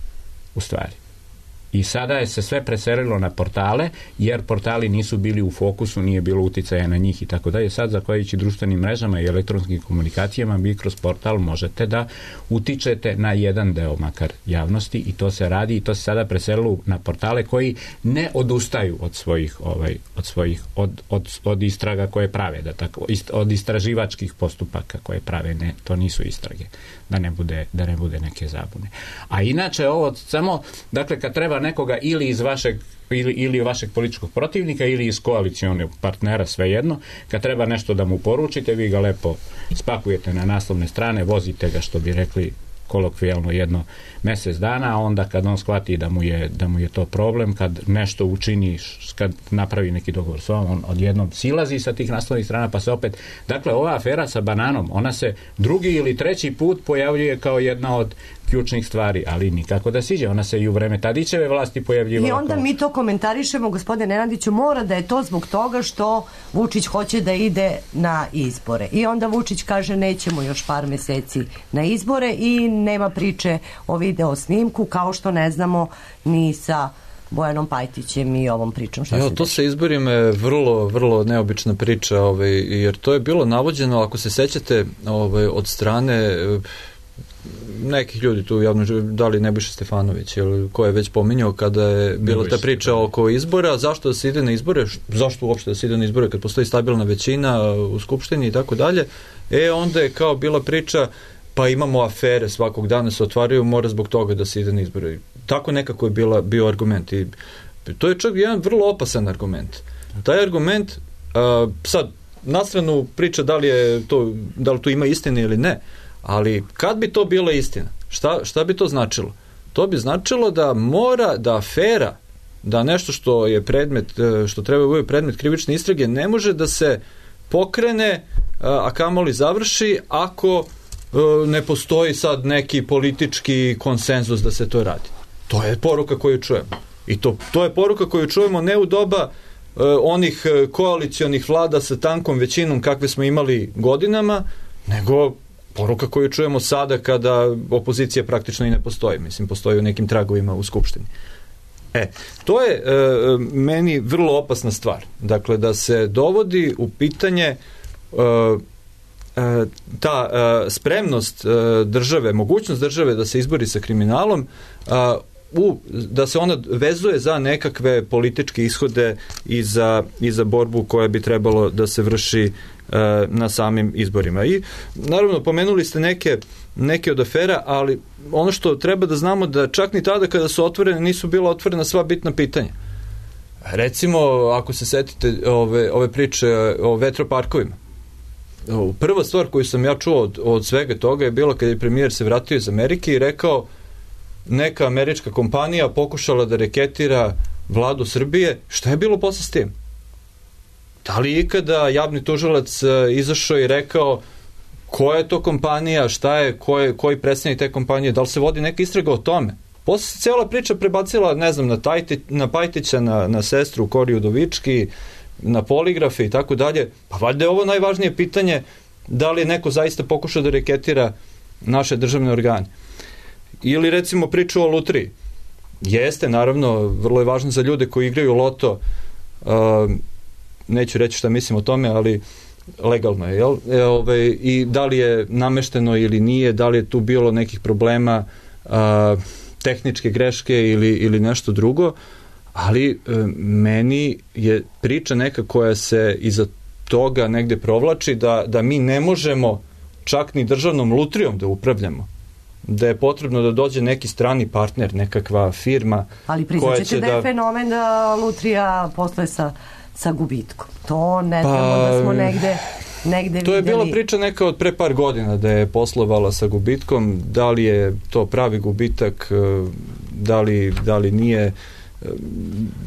u stvari. I sada je se sve preselilo na portale, jer portali nisu bili u fokusu, nije bilo uticaja na njih i tako dalje. Sad, zahvaljujući društvenim mrežama i elektronskim komunikacijama, vi kroz portal možete da utičete na jedan deo makar javnosti i to se radi i to se sada preselilo na portale koji ne odustaju od istraga koje prave, od istraživačkih postupaka koje prave. Ne, to nisu istrage, da ne bude neke zabune. A inače ovo samo, dakle, kad treba nekoga ili iz vašeg političkog protivnika ili iz koalicijonog partnera, svejedno, kad treba nešto da mu poručite, vi ga lepo spakujete na naslovne strane, vozite ga, što bi rekli kolokvijalno, jedno mjesec dana, a onda kad on shvati da mu je to problem, kad nešto učini, kad napravi neki dogovor s vama, on odjednom silazi sa tih naslovnih strana, pa se opet... Dakle, ova afera sa bananom, ona se drugi ili treći put pojavljuje kao jedna od ključnih stvari, ali nikako da siđe. Ona se i u vreme Tadićeve vlasti pojavljivala. I onda mi to komentarišemo, gospodine Nenadiću, mora da je to zbog toga što Vučić hoće da ide na izbore. I onda Vučić kaže nećemo još par mjeseci na izbore i nema priče o video snimku, kao što ne znamo ni sa Bojanom Pajtićem i ovom pričom. To sa izborima je vrlo, vrlo neobična priča, jer to je bilo navođeno, ako se sećate, od strane nekih ljudi tu javno, da li Nebojša Stefanović ili ko je već pominjao kada je bila ta priča oko izbora, zašto da se ide na izbore, zašto uopšte da se ide na izbore kad postoji stabilna većina u Skupštini i tako dalje, onda je kao bila priča, pa imamo afere svakog dana se otvaraju, mora zbog toga da se ide na izbore. Tako nekako je bio argument i to je čak jedan vrlo opasan argument. Taj argument, sad, na stranu priča da li tu ima istine ili ne, ali kad bi to bila istina, šta bi to značilo? To bi značilo da mora, da afera, da nešto što je predmet, što treba biti predmet krivične istrage, ne može da se pokrene, a kamoli završi, ako ne postoji sad neki politički konsenzus da se to radi. To je poruka koju čujemo. I to je poruka koju čujemo ne u doba onih koalicionih vlada sa tankom većinom kakve smo imali godinama, nego poruka koju čujemo sada kada opozicija praktično i ne postoji. Mislim, postoji u nekim tragovima u Skupštini. To je meni vrlo opasna stvar. Dakle, da se dovodi u pitanje ta spremnost države, mogućnost države da se izbori sa kriminalom, da se ona vezuje za nekakve političke ishode i za borbu koja bi trebalo da se vrši na samim izborima. I naravno pomenuli ste neke od afera, ali ono što treba da znamo da čak ni tada kada su otvorene nisu bila otvorena sva bitna pitanja. Recimo, ako se setite ove priče o vetroparkovima, prva stvar koju sam ja čuo od svega toga je bilo kada je premijer se vratio iz Amerike i rekao neka američka kompanija pokušala da reketira vladu Srbije. Šta je bilo posle s tim? Da li ikada javni tužilac izašao i rekao koja je to kompanija, šta je, koji predstavnik te kompanije, da li se vodi neka istraga o tome? Posle se cijela priča prebacila, ne znam, na Pajtića, na sestru Kori Udovički, na poligrafe i tako dalje. Pa valjda je ovo najvažnije pitanje, da li je neko zaista pokušao da reketira naše državne organe. Ili recimo priču o lutriji. Jeste, naravno, vrlo je važno za ljude koji igraju loto, neću reći šta mislim o tome, ali legalno je, jel? I da li je namešteno ili nije, da li je tu bilo nekih problema, tehničke greške ili nešto drugo, ali meni je priča neka koja se iza toga negde provlači da mi ne možemo čak ni državnom lutrijom da upravljamo, da je potrebno da dođe neki strani partner, nekakva firma. Ali priznaćete da je fenomen da lutrija posluje sa gubitkom. To ne znamo da smo negde videli. To je bila priča neka od pre par godina da je poslovala sa gubitkom. Da li je to pravi gubitak, da li nije,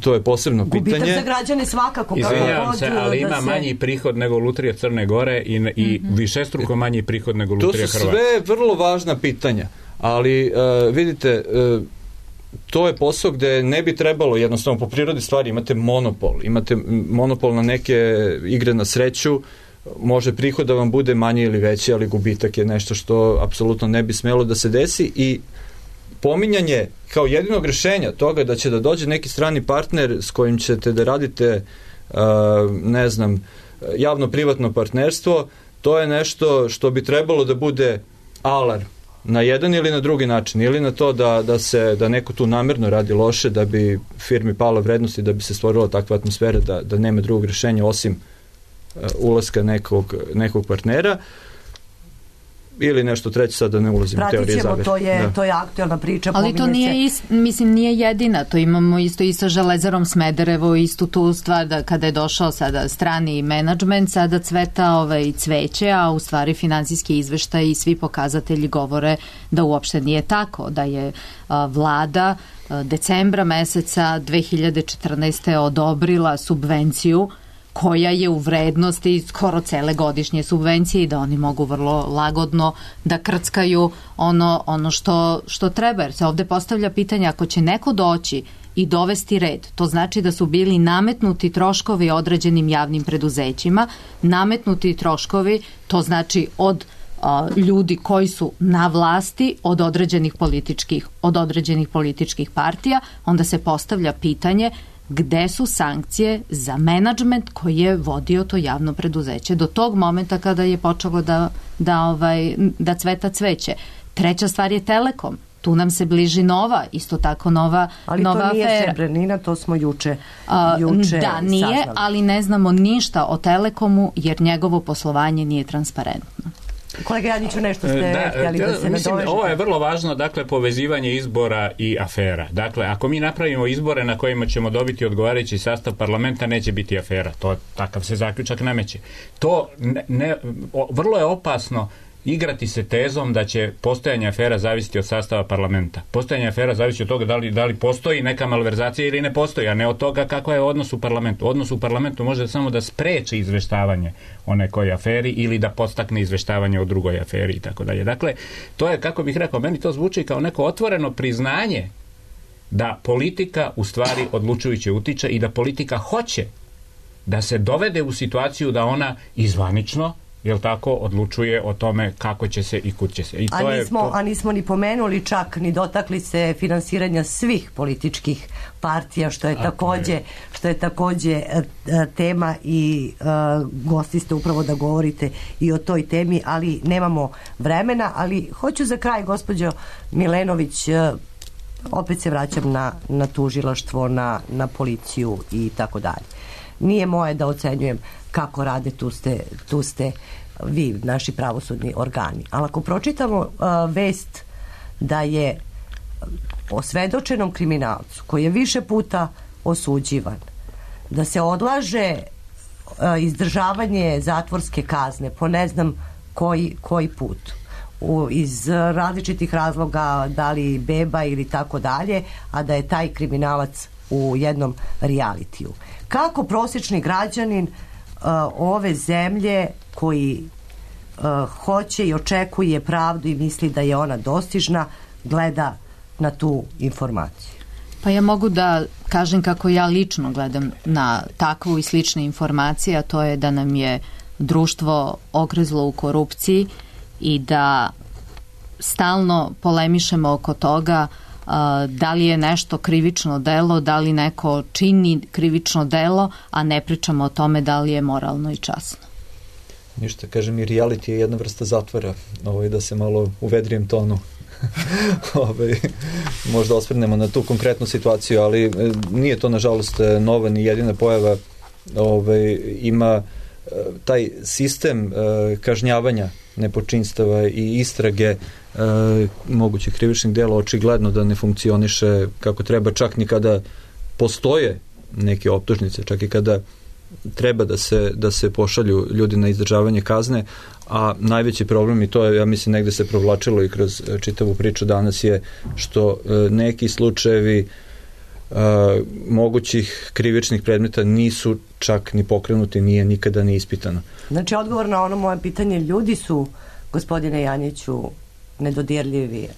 to je posebno pitanje. Gubitak za građane svakako. Izvinjavam se, ali ima manji prihod nego lutrija Crne Gore i višestruko manji prihod nego lutrija Hrvatske. To su sve vrlo važna pitanja, ali vidite, to je posao gde ne bi trebalo, jednostavno po prirodi stvari imate monopol na neke igre na sreću, može prihod da vam bude manji ili veći, ali gubitak je nešto što apsolutno ne bi smelo da se desi i pominjanje kao jedinog rešenja toga da će da dođe neki strani partner s kojim ćete da radite ne znam, javno-privatno partnerstvo, to je nešto što bi trebalo da bude alarm na jedan ili na drugi način, ili na to da neko tu namerno radi loše, da bi firmi pala vrednost i da bi se stvorila takva atmosfera da nema drugog rešenja osim ulaska nekog partnera, ili nešto treće, sad da ne ulazim u teorije zavere. To je aktualna priča. Ali to nije jedina, to imamo isto i sa Železarom Smederevo, istu tu stvar da kada je došao sada strani menadžment, sada cveta cveće, a u stvari finansijski izveštaj i svi pokazatelji govore da uopšte nije tako, da je vlada decembra meseca 2014. odobrila subvenciju koja je u vrednosti skoro cele godišnje subvencije i da oni mogu vrlo lagodno da krckaju ono što treba. Jer se ovde postavlja pitanje, ako će neko doći i dovesti red, to znači da su bili nametnuti troškovi određenim javnim preduzećima, nametnuti troškovi, to znači od ljudi koji su na vlasti od određenih političkih partija, onda se postavlja pitanje gde su sankcije za menadžment koji je vodio to javno preduzeće do tog momenta kada je počelo da cveta cveće. Treća stvar je Telekom. Tu nam se bliži nova, isto tako nova ali nova to nije afera. Srebrnina, to smo juče Da, nije, saznali. ali ne znamo ništa o Telekomu jer njegovo poslovanje nije transparentno. Kolega Janjiću, nešto ste htjeli da se mislim, nadovežete? ovo je vrlo važno, dakle, povezivanje izbora i afera. Dakle, ako mi napravimo izbore na kojima ćemo dobiti odgovarajući sastav parlamenta, neće biti afera. To takav se zaključak nameće. To vrlo je opasno igrati se tezom da će postojanje afera zavisiti od sastava parlamenta. Postojanje afera zavisi od toga da li postoji neka malverzacija ili ne postoji, a ne od toga kako je odnos u parlamentu. Odnos u parlamentu može samo da spreči izveštavanje o nekoj aferi ili da podstakne izveštavanje o drugoj aferi i tako dalje. Dakle, to je, kako bih rekao, meni to zvuči kao neko otvoreno priznanje da politika u stvari odlučujuće utiče i da politika hoće da se dovede u situaciju da ona izvanično, jel tako, odlučuje o tome kako će se i kud će se. I a nismo ni pomenuli čak, ni dotakli se finansiranja svih političkih partija, što je takođe tema i gosti ste upravo da govorite i o toj temi, ali nemamo vremena, ali hoću za kraj, gospođo Milenović, opet se vraćam na tužilaštvo, na policiju i tako dalje. Nije moje da ocenjujem kako rade, tu ste vi, naši pravosudni organi. Ali ako pročitamo vest da je osvedočenom kriminalcu koji je više puta osuđivan, da se odlaže izdržavanje zatvorske kazne po ne znam koji put, iz različitih razloga, da li beba ili tako dalje, a da je taj kriminalac u jednom realitiju. Kako prosječni građanin ove zemlje koji hoće i očekuje pravdu i misli da je ona dostižna, gleda na tu informaciju? Pa ja mogu da kažem kako ja lično gledam na takvu i slične informacije, a to je da nam je društvo ogrezlo u korupciji i da stalno polemišemo oko toga da li je nešto krivično delo, da li neko čini krivično delo, a ne pričamo o tome da li je moralno i časno. Ništa, kažem, i reality je jedna vrsta zatvora, da se malo u vedrijem tonu možda osvrnemo na tu konkretnu situaciju, ali nije to nažalost nova ni jedina pojava. Ima taj sistem kažnjavanja nepočinstava i istrage mogućih krivičnih dela očigledno da ne funkcioniše kako treba, čak ni kada postoje neke optužnice, čak i kada treba da se pošalju ljudi na izdržavanje kazne, a najveći problem, i to je, ja mislim, negde se provlačilo i kroz čitavu priču danas, je što neki slučajevi mogućih krivičnih predmeta nisu čak ni pokrenuti, nije nikada ni ispitano. Znači, odgovor na ono moje pitanje, ljudi su, gospodine Janjiću, nedodirljivi.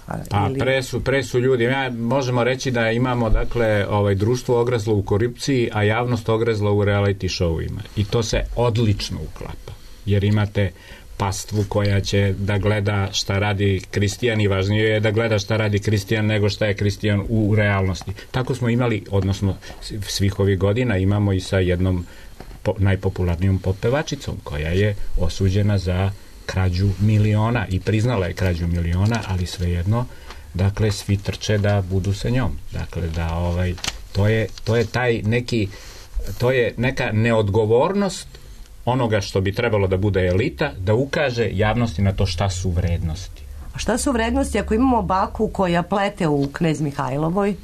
Pre su ljudi. Možemo reći da imamo, dakle, društvo ogrezlo u korupciji, a javnost ogrezla u reality showima. I to se odlično uklapa. Jer imate pastvu koja će da gleda šta radi Kristijan i važnije je da gleda šta radi Kristijan nego šta je Kristijan u realnosti. Tako smo imali, odnosno svih ovih godina imamo i sa jednom najpopularnijom poppevačicom koja je osuđena za krađu miliona i priznala je krađu miliona, ali svejedno, dakle, svi trče da budu sa njom. Dakle, da to je taj neki, to je neka neodgovornost onoga što bi trebalo da bude elita, da ukaže javnosti na to šta su vrednosti. A šta su vrednosti ako imamo baku koja plete u Knez Mihajlovoj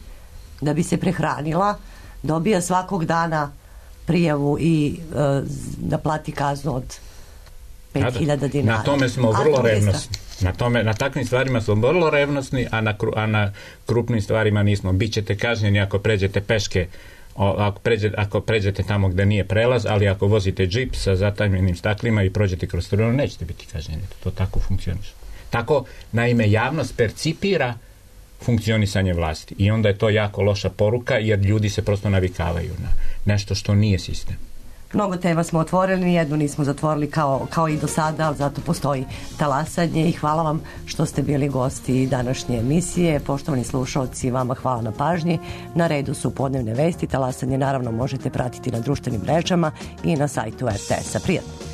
da bi se prehranila, dobija svakog dana prijavu i da plati kaznu od 5.000 dinara. Na tome smo vrlo revnosni. Na takvim stvarima smo vrlo revnosni, a na krupnim stvarima nismo. Bićete kažnjeni ako pređete peške, ako pređete tamo gde nije prelaz, ali ako vozite džip sa zatamljenim staklima i prođete kroz strunu, nećete biti kažnjeni. To tako funkcioniše. Tako, naime, javnost percipira funkcionisanje vlasti i onda je to jako loša poruka, jer ljudi se prosto navikavaju na nešto što nije sistem. Mnogo tema smo otvorili, nijednu nismo zatvorili kao i do sada, ali zato postoji talasanje i hvala vam što ste bili gosti današnje emisije. Poštovani slušalci, vama hvala na pažnji. Na redu su podnevne vesti. Talasanje naravno možete pratiti na društvenim mrežama i na sajtu RTS-a. Prijatno!